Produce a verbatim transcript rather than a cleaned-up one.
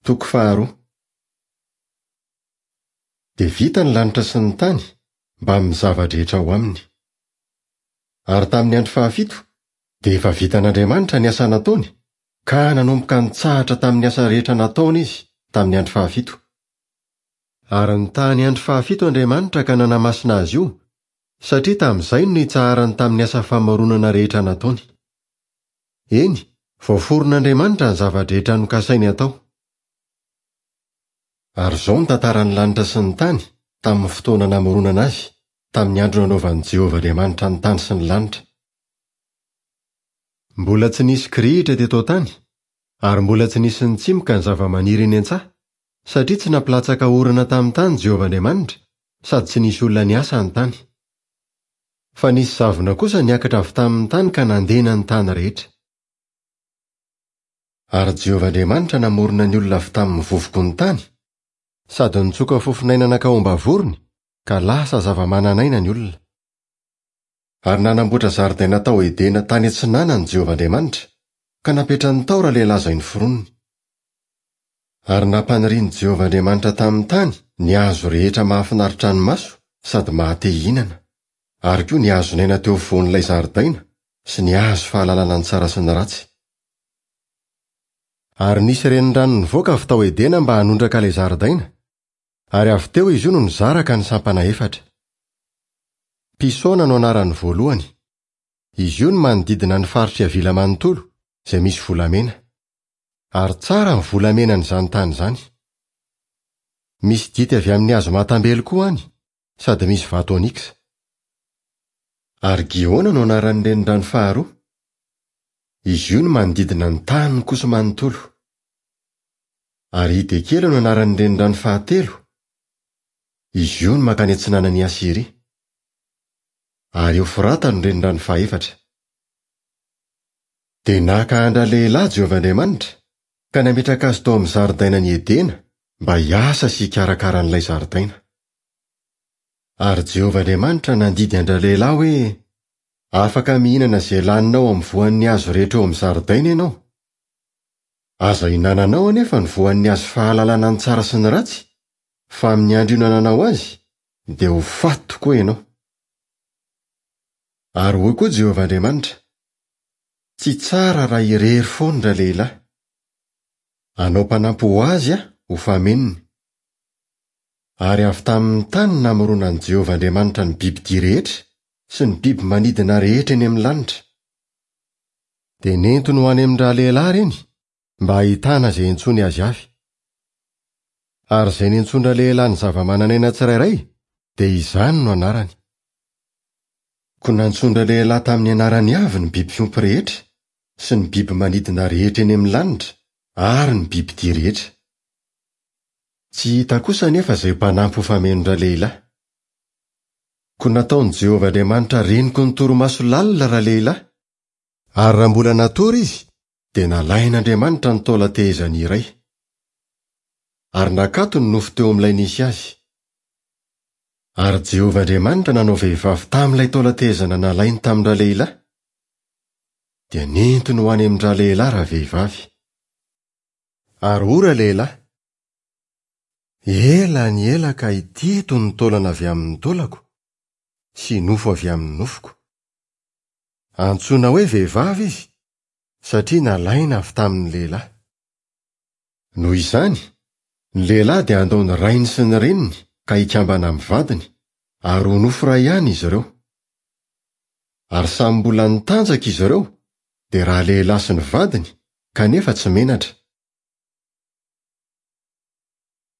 Toko faharoa. Dia vita ny lanitra sy ny tany mbamin'ny zava-drehetra ao aminy. Ary tamin'ny andro fahafito dia efa vitan'Andriamanitra ny asa nataony, ka nanomboka nitsahatra tamin'ny asa rehetra nataony izy tamin'ny andro fahafito. Ary nitahy ny andro fahafito Andriamanitra ka nanamasina azy io, satria tamin'izay no nitsaharany tamin'ny asa famoronana rehetra nataony. Eny, voaforon'Andriamanitra ny zava-drehetra nokasainy atao. Ary izao ny tantaran'ny lanitra sy ny tany tamin'ny fotoana namoronana azy, tamin'ny andro nanaovan'i Jehovah Andriamanitra ny tany sy ny lanitra. Mbola tsy nisy kirihitra teto an-tany, ary mbola tsy nisy nitsimoka ny zava-maniry eny an-tsaha, satria tsy nampilatsaka orana tamin'ny tany Jehovah Andriamanitra, sady tsy nisy olona niasa ny tany. Fa nisy zavona kosa niakatra avy tamin'ny tany ka nandena ny tany rehetra. Ary Jehovah Andriamanitra namorona ny olona avy tamin'ny vovoky ny tany, sady nitsoka fofonaina nankao am-bavorony, ka lasa zava-manan'aina ny olona. Ary nanamboatra zaridaina tao Edena tany atsinanany Jehovah Andriamanitra, ka napetrany tao ralehilahy izay noforoniny. Ary nampanirian'i Jehovah Andriamanitra tamin'ny tany ny hazo rehetra mahafinaritra ny maso sady mahate hihinana, ary koa ny hazon'aina teo afovoan'ilay zaridaina sy ny hazo fahalalana ny tsara sy ny ratsy. Ary nisy renirano nivoaka avy tao Edena mba hanondraka ilay zaridaina, ary avy teo izy io no nizaraka ny sampana efatra. Pisona no anaran'ny voalohany. Izy io no manodidina ny faritry Havila manontolo, izay misy volamena. Ary tsara ny volamenan'izany tany izany. Misy dity avy amin'ny hazo mahatambelo koa any, sady misy vato oniksa. Ary Gihona no anaran'ny renirano faharoa. Izy io no manodidina ny tany kosa manontolo. Ary Hidekela no anaran'ny renirano fahatelo. Izy io no mankany atsinanan'i Asyria. Ary Eofrata no renirano fahefatra. Dia naka an-dralehilahy Jehovah Andriamanitra, ka nametraka azy tao amin'ny zaridainan'i Edena mba hiasa sy hikarakara an'ilay zaridaina. Ary Jehovah Andriamanitra nandidy an-dralehilahy hoe: afaka mihinana izay laninao amin'ny voan'ny hazo rehetra eo amin'ny zaridaina ianao. Aza ihinananao anefa ny voan'ny hazo fahalalana ny tsara sy ny ratsy, fa amin'ny andro ihinananao azy dia ho faty tokoa ianao. Ary hoy koa Jehovah Andriamanitra: tsy tsara raha irery foana ralehilahy. Hanao mpanampy ho azy aho ho fameniny. Ary avy tamin'ny tany namoronan'i Jehovah Andriamanitra ny bibidia rehetra sy ny biby manidina rehetra eny amin'ny lanitra. Dia nentiny ho any amin-dralehilahy ireny mba hahitana izay intsony azy avy. Ary izay nentsoin-dralehilahy ny zava-manan'aina tsirairay dia izany no anarany. Koa nantsoin-dralehilahy tamin'ny anarany avy ny biby fiompy rehetra sy ny biby manidina rehetra eny amin'ny lanitra ary ny bibidia rehetra. Tsy hita kosa anefa izay mpanampy ho famenon-dralehilahy. Koa nataon'i Jehovah Andriamanitra reniko ny torimaso lalina ralehilahy, ary raha mbola natory izy dia nalain'Andriamanitra ny taolan-tehezany iray. Ary nakato ny nofo teo amin'ilay nisy azy. Ary Jehovah Andriamanitra nanao vehivavy tamin'ilay taolan-tehezana nalainy tamin-dralehilahy, dia nentiny ho any amin-dralehilahy ravehivavy. Ary hoy ralehilahy: ela ny ela ka ity eto ny taolana avy amin'ny taolako sy nofo avy amin'ny nofoko. Antsoina hoe vehivavy izy, satria nalaina avy tamin'ny lehilahy. Noho izany, ny lehilahy dia handao ny rainy sy ny reniny ka hikambana amin'ny vadiny, ary ho nofo iray ihany izy ireo. Ary samy mbola nitanjaka izy ireo, dia ralehilahy sy ny vadiny, kanefa tsy menatra.